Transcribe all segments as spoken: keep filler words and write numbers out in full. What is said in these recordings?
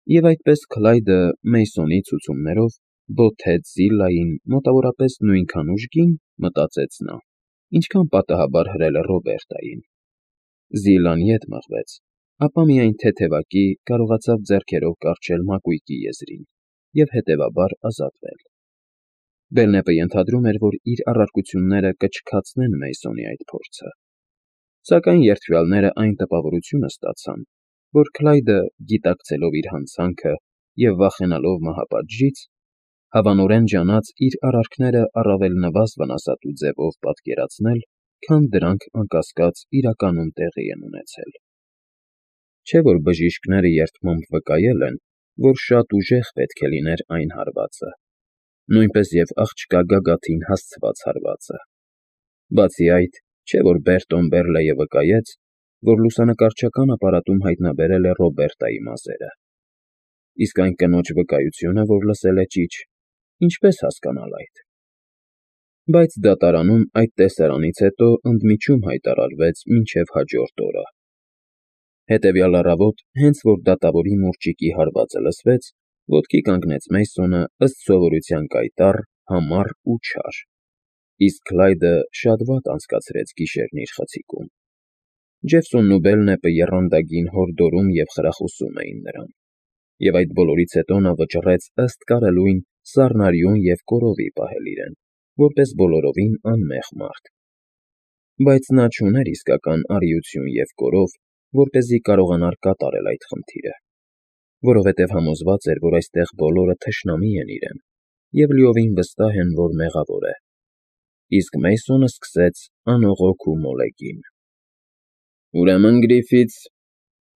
Եվ այդպես Քլայդը Մեյսոնի ցուցումներով բոթեց Զիլլային մոտավորապես նույնքան ուժգին, մտածեց նա, ինչքան պատահաբար հրել է Ռոբերտային։ Զիլլան ետ մղվեց, ապա միայն թեթևակի կարողացավ ձեռքերով կառչել մակույկի եզրին և հետևաբար ազատվել։ Բելնեպը ենթադրում էր, որ իր առարկությունները կչքացնեն Մեյսոնի այդ փորձը, սակայն երդվյալները այն տպավորությունը ստացան, որ Քլայդը, գիտակցելով իր հանցանքը և վախենալով մահապատժից, հավանորեն ջանաց իր արարքները առավել նվազ վնասատու ձևով պատկերացնել, քան դրանք անկասկած իրականում տեղի են ունեցել։ Չէ՞ որ բժիշկները երդմամբ վկայել են, որ շատ ուժեղ պետք է լիներ այն հարվածը, նույնպես և աղջկա գագաթին հասցված հարվածը։ Բացի այդ, չէ՞ որ Բերտոն Բերլեյը վկայեց, որ լուսանկարչական ապարատում հայտնաբերել է Ռոբերտայի մազերը։ Իսկ այն կնոջ վկայությունը, որ լսել է ճիչ, ինչպե՞ս հասկանալ այդ։ Բայց դատարանում այդ տեսարանից հետո ընդմիջում հայտարարվեց մինչև հաջորդ օրը։ Հետևյալ առավոտ, հենց որ դատավորի մուրճիկի հարվածը լսվեց, ոտքի կանգնեց Մեյսոնը ըստ սովորության կայտառ, համառ ու չար, իսկ Քլայդը շատ վատ անցկացրեց գիշերն իր խցիկում։ Ջեֆսոնն ու Բելնեպը եռանդագին հորդորում և խրախուսում էին նրան, և այդ բոլորից հետո նա վճռեց ըստ կարելույն սառնարյուն և կորովի պահել իրեն, որպես բոլորովին անմեղ մարդ։ Բայց նա չուներ իսկական արիություն և կորով, որպեսզի կարողանար կատարել այդ խնդիրը, որովհետև համոզված էր, որ այստեղ բոլորը թշնամի են իրեն և լիովին վստահ են, որ մեղավոր է։ Իսկ Մեյսոնը սկսեց անողոք ու մոլեգին. «Ուրեմն, Գրիֆիթս,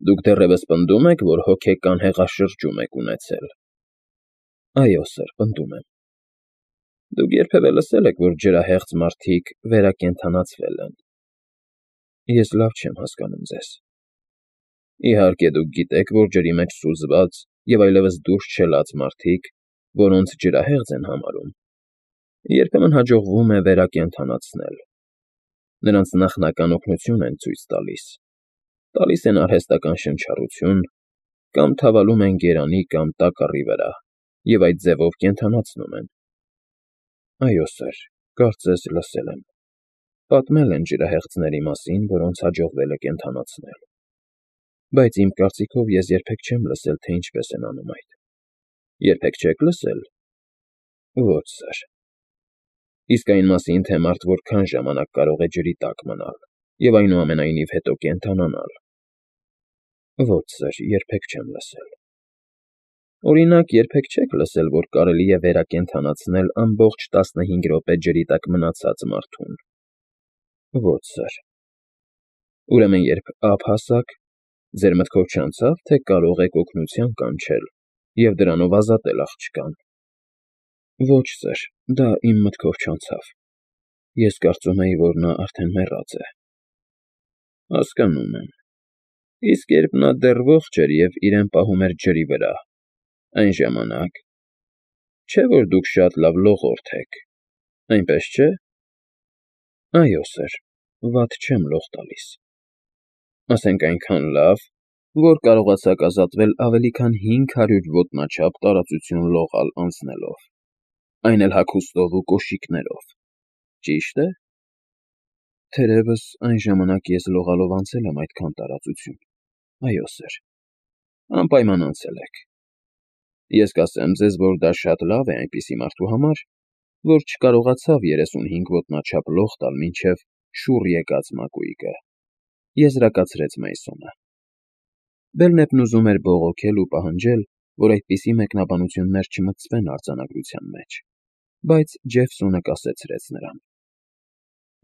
դուք դեռևս պնդում եք, որ հոգեկան հեղաշրջում եք ունեցել»։ ֊ Այո, սըր, պնդում եմ։ ֊ Դուք երբևէ լսել եք, որ ջրահեղձ մարդիկ վերակենդանացվել են։ ֊ Ես լավ չեմ հասկանում ձեզ։ ֊ Իհարկե, դուք գիտեք, որ ջրի մեջ սուզված և այլևս դուրս չելած մարդիկ, որոնց ջրահեղձ են համարում, երբեմն հաջողվում է վերակենդանացնել։ Նրանց նախնական օգնություն են ցույց տալիս, տալիս են արհեստական շնչառություն կամ թավալում են գերանի կամ տակառի վրա և այդ ձևով կենդանացնում են։ ֊ Այո, սըր, կարծես լսել եմ. պատմել են ջրահեղձների մասին, որոնց հաջողվել է կենդանացնել։ Բայց իմ կարծիքով ես երբեք չեմ լսել, թե ինչպես են անում այդ։ ֊ Երբեք չե՞ք լսել։ ֊ Ոչ, սըր։ ֊ Իսկ այն մասին, թե մարդ որքան ժամանակ կարող է ջրի տակ մնալ և այնուամենայնիվ հետո կենդանանալ։ ֊ Ոչ, սըր, երբեք չեմ լսել։ ֊ Օրինակ, երբեք չե՞ք լսել, որ կարելի է վերակենդանացնել ամբողջ տասնհինգ րոպե ջրի տակ մնացած մարդուն։ ֊ Ոչ, սըր։ ֊ Ուրեմն, երբ ափ հասաք, ձեր մտքով չանցա՞վ, թե կարող եք օգնության կանչել և դրանով ազատել աղջկան։ ֊ Ոչ, սըր, դա իմ մտքով չանցավ։ Ես կարծում էի, որ նա արդեն մեռած է։ ֊ Հասկանում եմ։ Իսկ երբ նա դեռ ողջ էր և իրեն պահում էր ջրի վրա, այն ժամանակ… Չէ՞ որ դուք շատ լավ լողորդ եք, այնպես չէ՞։ ֊ Այո, սըր, վատ չեմ լող տալիս։ ֊ Ասենք այնքան լավ, որ կարողացաք ազատվել ավելի քան հինգ հարյուր ոտնաչափ տարածություն լողալ անցնելով, այն էլ հագուստով ու կոշիկներով, ճի՞շտ է։ ֊ Թերևս այն ժամանակ ես լողալով անցել եմ այդքան տարածություն։ Այո, սըր։ ֊ Անպայման անցել եք։ Ես կասեմ ձեզ, որ դա շատ լավ է այնպիսի մարդու համար, որ չկարողացավ երեսունհինգ ոտնաչափ լող տալ մինչև շուռ եկած մակույկը,֊ եզրակացրեց Մեյսոնը։ Բելնեպն ուզում էր բողոքել ու պահանջել, որ այդպիսի մեկնաբանություններ չմտցվեն արձանագրության մեջ, բայց Ջեֆսոնը կասեցրեց նրան։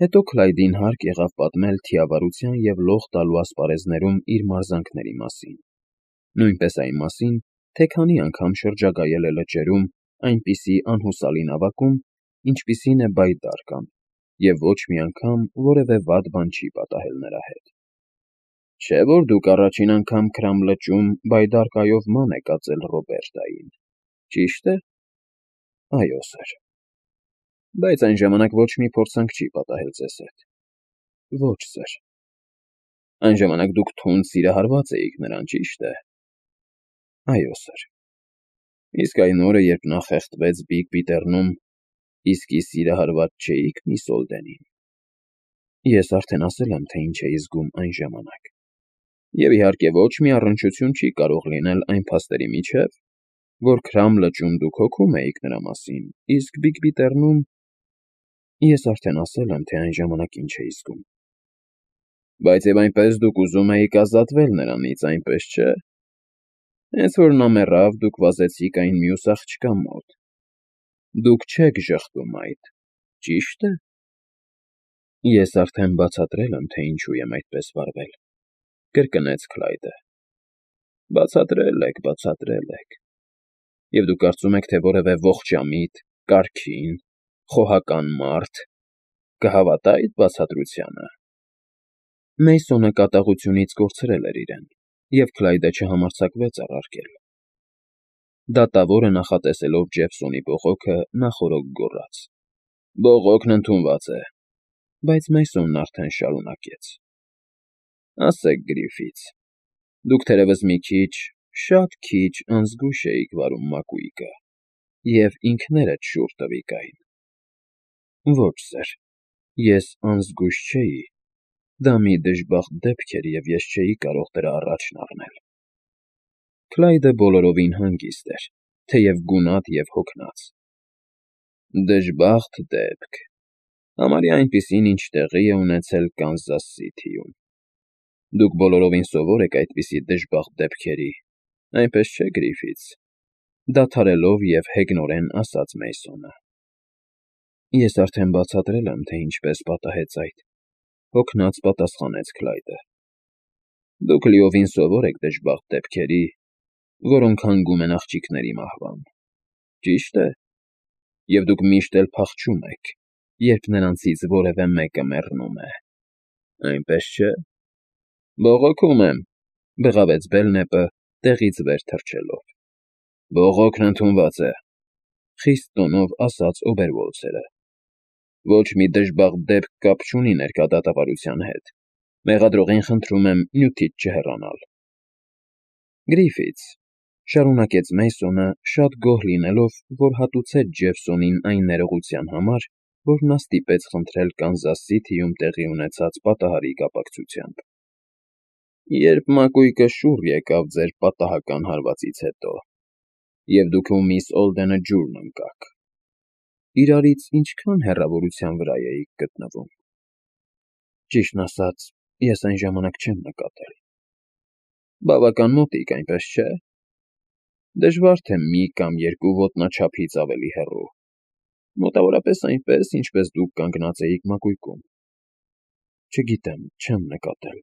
Հետո Քլայդին հարկ եղավ պատմել թիավարության և լող տալու ասպարեզներում իր մարզանքների մասին, նույնպես այն մասին, թե քանի անգամ շրջագայել է լճերում այնպիսի անհուսալի նավակում, ինչպիսին է բայդարկան, և ոչ մի անգամ որևէ վատ բան չի պատահել նրա հետ։ ֊ Չէ՞ որ դուք առաջին անգամ Քրամ լճում բայդարկայով ման եք ածել Ռոբերտային, ճի՞շտ է։ ֊ Այո, սըր։ ֊ Բայց այն ժամանակ ոչ մի փորձանք չի պատահել ձեզ հետ։ ֊ Ոչ, սըր։ ֊ Այն ժամանակ դուք թունդ սիրահարված էիք նրան, ճի՞շտ է։ ֊ Այո, սեր։ Իսկ այն օրը, երբ նա խեղդվեց Բիգ Բիթեռնում, իսկի սիրահարված չէիք միս Օլդենին։ Ես արդեն ասել եմ, թե ինչ էի զգում այն ժամանակ։ Եվ իհարկե ոչ մի առնչություն չի կարող լինել այն փաստերի միջև, որ Քրամ լճում դուք հոգում էիք նրա մասին, իսկ Բիգ Բիթեռնում… Ես արդեն ասել եմ, թե այն ժամանակ ինչ էի զգում։ Բայց եւ այնպես դուք ուզում էիք ազատվել նրանից, այնպես չէ՞։ Հենց որ նա մեռավ, դուք վազեցիք այն մյուս աղջկա մոտ։ Դուք չեք ժխտում այդ, ճի՞շտ է։ Ես արդեն բացատրել եմ, թե ինչու եմ այդպես վարվել, կրկնեց Քլայդը։ Բացատրել եք, բացատրել եք։ Եվ դուք կարծում եք, թե որևէ ողջամիտ, կարգին, խոհական մարդ կհավատա այդ բացատրությանը։ Մեյսոնը կատաղությունից կորցրել էր իրեն, և Քլայդը չհամարձակվեց առարկել։ Դատավորը նախատեսելով Ջեֆսոնի բողոքը նախօրոք գոռաց. Բողոքն ընդունված է։ Բայց Մեյսոնն արդեն շարունակեց. Ասեք, Գրիֆիթս, դուք թերևս մի քիչ, շատ քիչ անզգույշ էիք վարում մակույկը և ինքներդ շուռ տվիք այն։ Ոչ, սեր, ես անզգույշ չէի։ Դա մի դժբախտ դեպք էր, և ես չէի կարող դրա առաջն առնել։ Քլայդը բոլորովին հանգիստ էր, թեև գունատ և հոգնած։ Դժբախտ դեպք… Համարյա այնպիսին, ինչ տեղի է ունեցել Կանզաս Սիթիում։ Դուք բոլորովին սովոր եք այդպիսի դժբախտ դեպքերի, այնպես չէ՞, Գրիֆիթս, դադարելով և հեգնորեն ասաց Մեյսոնը։ Ես արդեն բացատրել եմ, թե ինչպես պատահեց այդ, հոգնած պատասխանեց Քլայդը։ Դուք լիովին սովոր եք դժբախտ դեպքերի, որոնք հանգում են աղջիկների մահվան, ճի՞շտ է։ Եվ դուք միշտ էլ փախչում եք, երբ նրանցից որևէ մեկը մեռնում է, այնպես չէ։ Բողոքում եմ, բղավեց Բելնեպը, տեղից վեր թռչելով։ Բողոքն ընդունված է, խիստ տոնով ասաց Օբերվոլցերը։ Ոչ մի դժբախտ դեպք կապ չունի ներկա դատավարության հետ։ Մեղադրողին խնդրում եմ նյութից չհեռանալ։ Գրիֆիթս, շարունակեց Մեյսոնը, շատ գոհ լինելով, որ հատուցեց Ջեֆսոնին այն ներողության համար, որ նա ստիպեց խնդրել Կանզաս Սիթիում տեղի ունեցած պատահարի կապակցությամբ։ Երբ մակույկը շուռ եկավ ձեր պատահական հարվածից հետո, և դուք ու միս Օլդենը ջուրն ընկաք, իրարից ինչքան հեռավորության վրա էիք գտնվում։ Ճիշտն ասած, ես այն ժամանակ չեմ նկատել։ Բավական մոտիկ, այնպես չէ։ Դժվար թե մի կամ երկու ոտնաչափից ավելի հեռու։ Մոտավորապես այնպես, ինչպես դուք կանգնած էիք մակույկում։ Չգիտեմ, չեմ նկատել։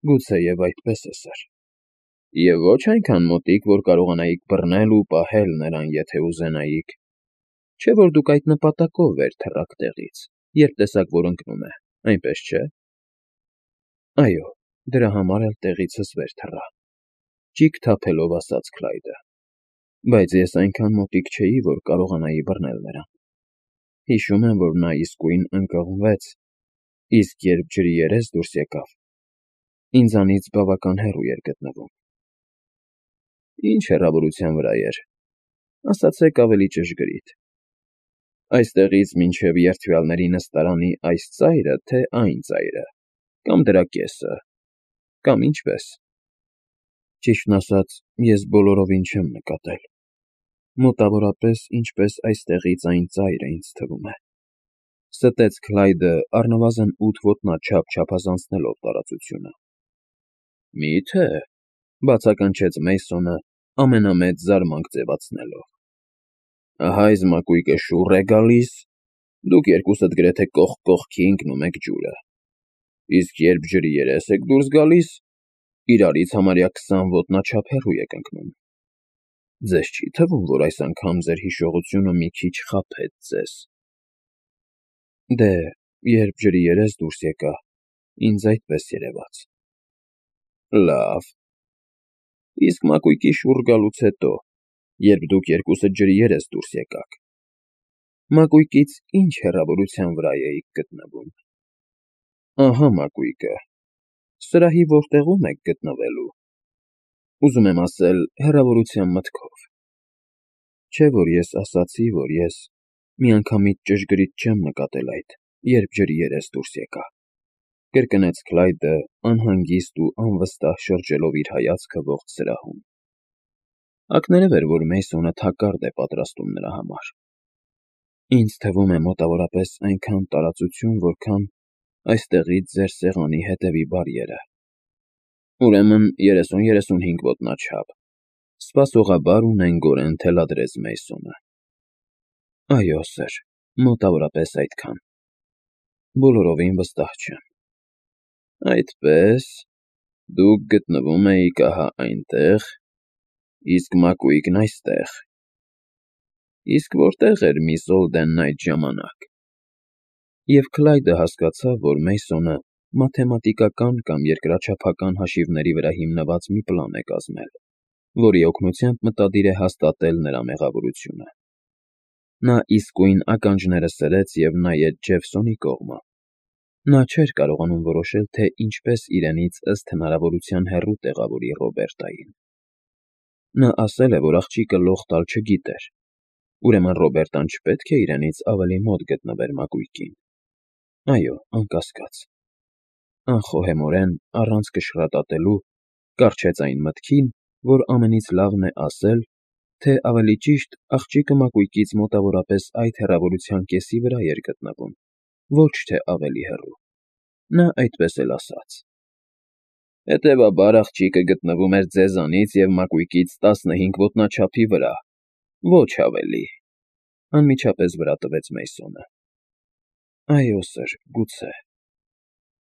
Գուցեև այդպես է, սեր։ Եվ ոչ այնքան մոտիկ, որ կարողանայիք բռնել ու պահել նրան, եթե ուզենայիք։ Չէ՞ որ դուք այդ նպատակով վեր թռաք տեղից, երբ տեսաք, որ ընկնում է, այնպես չէ։ Այո, դրա համար էլ տեղիցս վեր թռա, ճիգ թափելով ասաց Քլայդը։ Բայց ես այնքան մոտիկ չէի, որ կարողանայի բռնել նրան։ Հիշում եմ, որ նա իսկույն ընկղմվեց, իսկ երբ ջրի երես դուրս եկավ, ինձանից բավական հեռու էր գտնվում։ Ինչ հեռավորության վրա էր, ասացեք ավելի ճշգրիտ։ Այստեղից մինչև երթվյալների նստարանի այս ծայրը, թե այն ծայրը, կամ դրա կեսը, կամ ինչպես։ Ճիշտն ասած, ես բոլորովին չեմ նկատել։ Մոտավորապես ինչպես այստեղից այն ծայրը, ինձ թվում է, ստեց Քլայդը առնվազն ութ ոտնաչափ չափազանցնելով տարածությունը։ Մի՞թե, բացականչեց Մեյսոնը, ամենամեծ զարմանք ձևացնելով։ Ահա այս մակույկը շուռ է գալիս, դուք երկուսդ գրեթե կողք կողքի ընկնում եք ջուրը, իսկ երբ ջրի երես եք դուրս գալիս, իրարից համարյա քսան ոտնաչափ հեռու եք ընկնում։ Ձեզ չի՞ թվում, որ այս անգամ ձեր հիշողությունը մի քիչ խաբեց ձեզ։ Դե, երբ ջրի երես դուրս եկա, ինձ այդպես երևաց։ Լավ։ Իսկ մակույկի շուռ գալուց հետո, երբ դուք երկուսդ ջրի երես դուրս եկաք, մակույկից ինչ հեռավորության վրա էիք գտնվում։ Ահա մակույկը, սրահի որտեղում եք գտնվելու։ ուզում եմ ասել, հեռավորության մտքով։ Չէ՞ որ ես ասացի, որ ես միանգամից ճշգրիտ չեմ նկատել այդ, երբ ջրի երես դուրս եկա, կրկնեց Քլայդը անհանգիստ ու անվստահ շրջելով իր հայացքը ողջ սրահում։ Ակներև էր, որ Մեյսոնը թակարդ է պատրաստում նրա համար։ Ինձ թվում է մոտավորապես այնքան տարածություն, որքան այստեղից ձեր սեղանի հետևի բարիերը։ Ուրեմն երեսուն-երեսունհինգ ոտնաչափ, սպասողաբար ու նենգորեն թելադրեց Մեյսոնը։ Այո, սըր, մոտավորապես այդքան։ Բոլորովին վստահ չեմ։ Այդպես, դուք գտնվում էիք ահա այնտեղ, իսկ Մակուիկն այստեղ։ Իսկ որտե՞ղ էր միս Օլդենն այդ ժամանակ։ Եվ Քլայդը հասկացավ, որ Մեյսոնը մաթեմատիկական կամ երկրաչափական հաշիվների վրա հիմնված մի պլան է կազմել, որի օգնությամբ մտադիր է հաստատել նրա մեղավորությունը։ Նա իսկույն ականջները սրեց և նայեց Ջեֆսոնի կողմը։ Նա չէր կարողանում որոշել, թե ինչպես իրենից ըստ հնարավորության հեռու տեղավորի Ռոբերտային։ Նա ասել է, որ աղջիկը լող տալ չգիտեր, ուրեմն Ռոբերտան չպետք է իրենից ավելի մոտ գտնվեր Մակուիկին։ Այո, անկասկած։ Անխոհեմորեն, առանց կշռատատելու, կառչեց այն մտքին, որ ամենից լավն է ասել, թե ավելի ճիշտ աղջիկը Մակուիկից մոտավորապես այդ հեռավորության կեսի վրա էր գտնվում, ոչ թե ավելի հեռու։ Նա այդպես էլ ասաց։ Հետևաբար աղջիկը գտնվում էր ձեզանից և Մակուիկից տասնհինգ ոտնաչափի վրա, ոչ ավելի, անմիջապես վրա տվեց Մեյսոնը։ Այո, սըր, գուցե,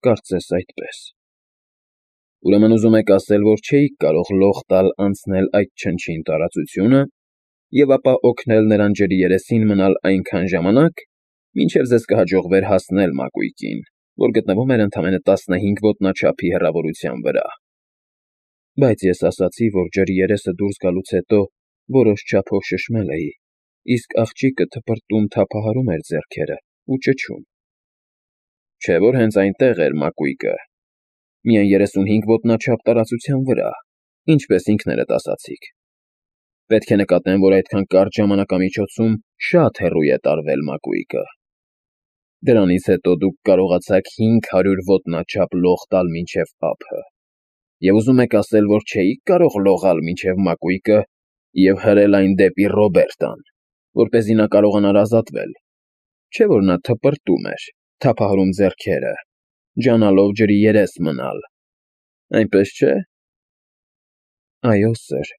կարծես այդպես։ Ուրեմն ուզում եք ասել, որ չէիք կարող լող տալ անցնել այդ չնչին տարածությունը և ապա օգնել նրան ջրի երեսին մնալ այնքան ժամանակ, մինչև ձեզ կհաջողվեր հասնել Մակուիկին, որ գտնվում էր ընդամենը տասնհինգ ոտնաչափի հեռավորության վրա։ Բայց ես ասացի, որ ջրի երեսը դուրս գալուց հետո որոշ չափով շշմել էի, իսկ աղջիկը թպրտում թափահարում էր ձեռքերը ու ճչում։ Չէ՞ որ հենց այնտեղ էր Մակուիկը, միայն երեսունհինգ ոտնաչափ տարածության վրա, ինչպես ինքներդ ասացիք։ Պետք է նկատեմ, որ այդքան կարճ ժամանակամիջոցում շատ հեռու է տարվել Մակուիկը։ Դրանից հետո դուք կարողացաք հինգ հարյուր ոտնաչափ լող տալ մինչև ափը, և ուզում եք ասել, որ չէիք կարող լողալ մինչև Մակուիկը և հրել այն դեպի Ռոբերտան, որպեսզի նա կարողանար ազատվել։ Չէ՞ որ նա թպրտում էր, թափահարում ձեռքերը, ջանալով ջրի երես մնալ, այնպես չէ՞։ Այո, սըր,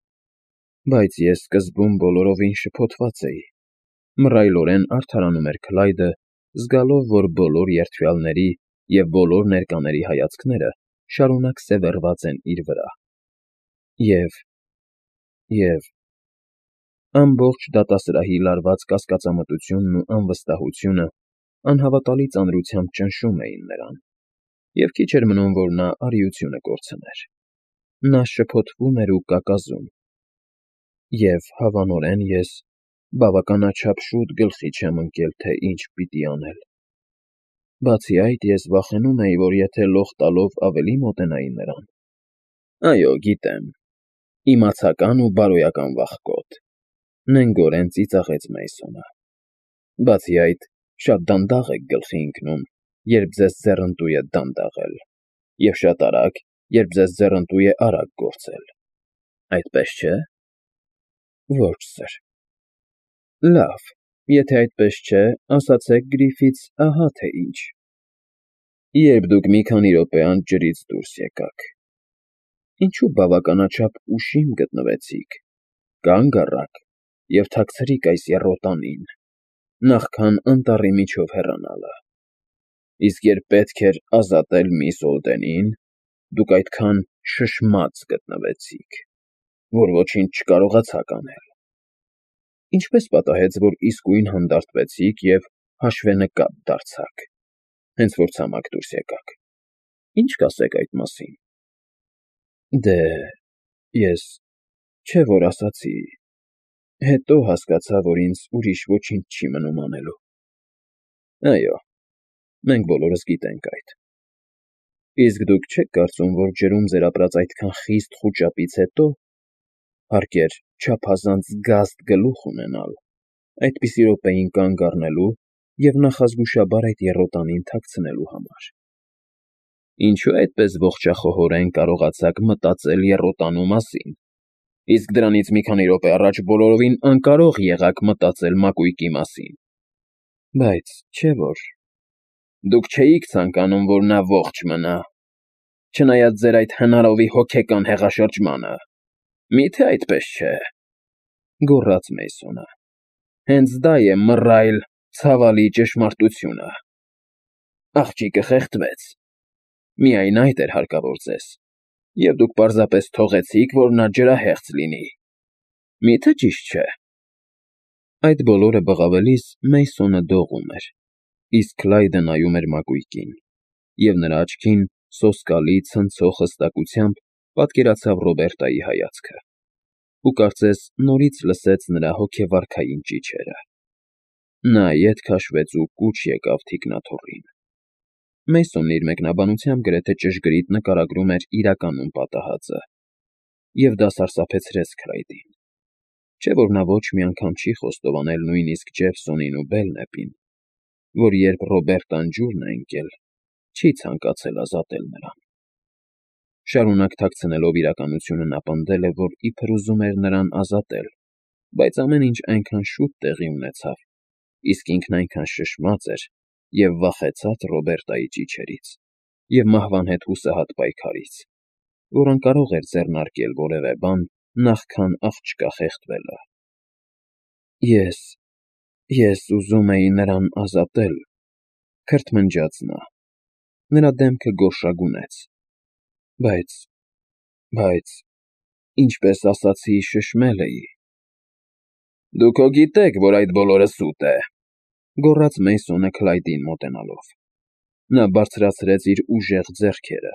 բայց ես սկզբում բոլորովին շփոթված էի, մռայլորեն արդարանում էր Քլայդը, զգալով, որ բոլոր երդվյալների և բոլոր ներկաների հայացքները շարունակ սևեռված են իր վրա։ Եվ… և… ամբողջ դատասրահի լարված կասկածամտությունն ու անվստահությունը անհավատալի ծանրությամբ ճնշում էին նրան, և քիչ էր մնում, որ նա արիությունը կորցներ։ Նա շփոթվում էր ու կակազում։ Եվ, հավանորեն, ես բավականաչափ շուտ գլխի չեմ ընկել, թե ինչ պիտի անել։ Բացի այդ, ես վախենում էի, որ եթե լող տալով ավելի մոտենայի նրան… Այո, գիտեմ, իմացական ու բարոյական վախկոտ, նենգորեն ծիծաղեց Մեյսոնը։ Բացի այդ, շատ դանդաղ եք գլխի ընկնում, երբ ձեզ ձեռնտու է դանդաղել, և շատ արագ, երբ ձեզ ձեռնտու է արագ գործել, այդպես չէ՞։ Ոչ, սըր։ Լավ, եթե այդպես չէ, ասացեք Գրիֆիթս ահա թե ինչ։ Երբ դուք մի քանի րոպե անց ջրից դուրս եկաք, ինչու բավականաչափ ուշիմ գտնվեցիք, կանգ առաք և թաքցրիք այս եռոտանին, նախքան անտառի միջով հեռանալը, իսկ երբ պետք էր ազատել միս Օլդենին, դուք այդքան շշմած գտնվեցիք, որ ոչինչ չկարողացաք անել։ Ինչպե՞ս պատահեց, որ իսկույն հանդարտվեցիք և հաշվենկատ դարձաք, հենց որ ցամաք դուրս եկաք։ Ի՞նչ կասեք այդ մասին։ Դե… ես… չէ՞ որ ասացի… հետո հասկացա, որ ինձ ուրիշ ոչինչ չի մնում անելու։ Այո, մենք բոլորս գիտենք այդ։ Իսկ դուք չե՞ք կարծում, որ ջրում ձեր ապրած այդքան խիստ խուճապից հետո Հարկ էր չափազանց զգաստ գլուխ ունենալ, այդպիսի րոպեին կանգ առնելու և նախազգուշաբար այդ եռոտանին թաքցնելու համար։ Ինչո՞ւ այդպես ողջախոհորեն կարողացաք մտածել եռոտանու մասին, իսկ դրանից մի քանի րոպե առաջ բոլորովին անկարող եղաք մտածել մակույկի մասին։ Բայց չէ՞ որ… Դուք չէիք ցանկանում, որ նա ողջ մնա, չնայած ձեր այդ հնարովի հոգեկան հեղաշրջմանը, մի՞թե այդպես չէ,֊ գոռաց Մեյսոնը։ Հենց դա է մռայլ, ցավալի ճշմարտությունը… Աղջիկը խեղդվեց, միայն այդ էր հարկավոր ձեզ, և դուք պարզապես թողեցիք, որ նա ջրահեղձ լինի, մի՞թե ճիշտ չէ։ Այդ բոլորը բղավելիս Մեյսոնը դողում էր, իսկ Քլայդը նայում էր մակույկին, և նրա աչքին սոսկալի, ցնցող հստակությամբ պատկերացավ Ռոբերտայի հայացքը, ու կարծես նորից լսեց նրա հոգեվարքային ճիչերը։ Նա ետ քաշվեց ու կուչ եկավ թիկնաթոռին։ Մեյսոնն իր մեկնաբանությամբ գրեթե ճշգրիտ նկարագրում էր իրականում պատահածը, և դա սարսափեցրեց Քլայդին։ Չէ՞ որ նա ոչ մի անգամ չի խոստովանել նույնիսկ Ջեֆսոնին ու Բելնեպին, որ երբ Ռոբերտան ջուրն է ընկել, չի ցանկացել ազատել նրան։ Շարունակ թաքցնելով իրականությունը նա պնդել է, որ իբր ուզում էր նրան ազատել, բայց ամեն ինչ այնքան շուտ տեղի ունեցավ, իսկ ինքն այնքան շշմած էր և վախեցած Ռոբերտայի ճիչերից և մահվան հետ հուսահատ պայքարից, որ անկարող էր ձեռնարկել որևէ բան, նախքան աղջկա խեղդվելը։ Ես… ես ուզում էի նրան ազատել,֊ քրթմնջաց նա։ Նրա դեմքը գորշագունեց։ Բայց… բայց… ինչպես ասացի, շշմել էի… Դուք հո գիտեք, որ այդ բոլորը սուտ է,֊ գոռաց Մեյսոնը Քլայդին մոտենալով։ Նա բարձրացրեց իր ուժեղ ձեռքերը։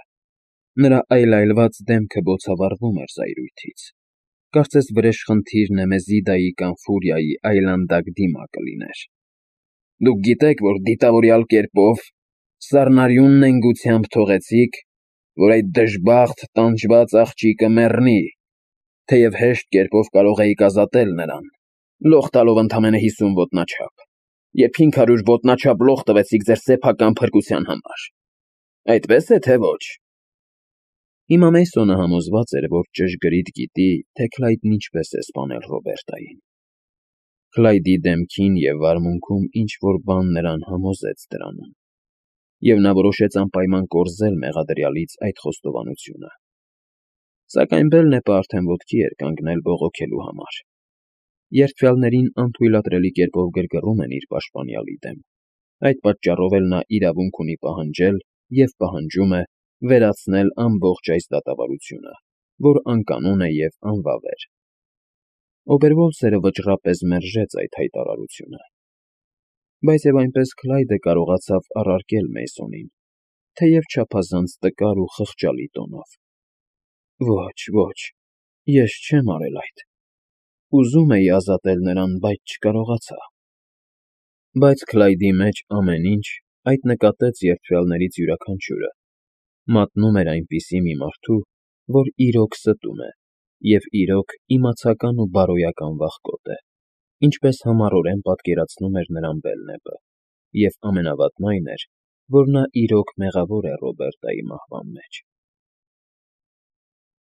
Նրա այլայլված դեմքը բոցավառվում էր զայրույթից, կարծես վրեժխնդիր Նեմեզիդայի կամ Ֆուրիայի այլանդակ դիմակը լիներ։ Դուք գիտեք, որ դիտավորյալ կերպով, սառնարյուն նենգությամբ թողեցիք, որ այդ դժբախտ, տանջված աղջիկը մեռնի, թեև հեշտ կերպով կարող էիք ազատել նրան, լող տալով ընդամենը հիսուն ոտնաչափ, և հինգ հարյուր ոտնաչափ լող տվեցիք ձեր սեփական փրկության համար։ Այդպե՞ս է, թե ոչ… Հիմա Մեյսոնը համոզված էր, որ ճշգրիտ գիտի, թե Քլայդն ինչպես է սպանել Ռոբերտային։ Քլայդի դեմքին և վարմունքում ինչ֊որ բան նրան համոզեց դրանում, և նա որոշեց անպայման կորզել մեղադրյալից այդ խոստովանությունը։ Սակայն Բելնեպը արդեն ոտքի էր կանգնել բողոքելու համար։ Երդվյալներին անթույլատրելի կերպով գրգռում են իր պաշտպանյալի դեմ, այդ պատճառով էլ նա իրավունք ունի պահանջել և պահանջում է վերացնել ամբողջ այս դատավարությունը, որ անկանոն է և անվավեր։ Օբերվոլֆսերը վճռապես մերժեց այդ հայտարարությունը։ Բայց և այնպես Քլայդը կարողացավ առարկել Մեյսոնին, թեև չափազանց տկար ու խղճալի տոնով. Ոչ, ոչ, ես չեմ արել այդ… ուզում էի ազատել նրան, բայց չկարողացա։ Բայց Քլայդի մեջ ամեն ինչ, այդ նկատեց երդվյալներից յուրաքանչյուրը, մատնում էր այնպիսի մի մարդու, որ իրոք ստում է և իրոք իմացական ու բարոյական վախկոտ է, ինչպես համառորեն պատկերացնում էր նրան Բելնեպը, և ամենավատն այն էր, որ նա իրոք մեղավոր է Ռոբերտայի մահվան մեջ։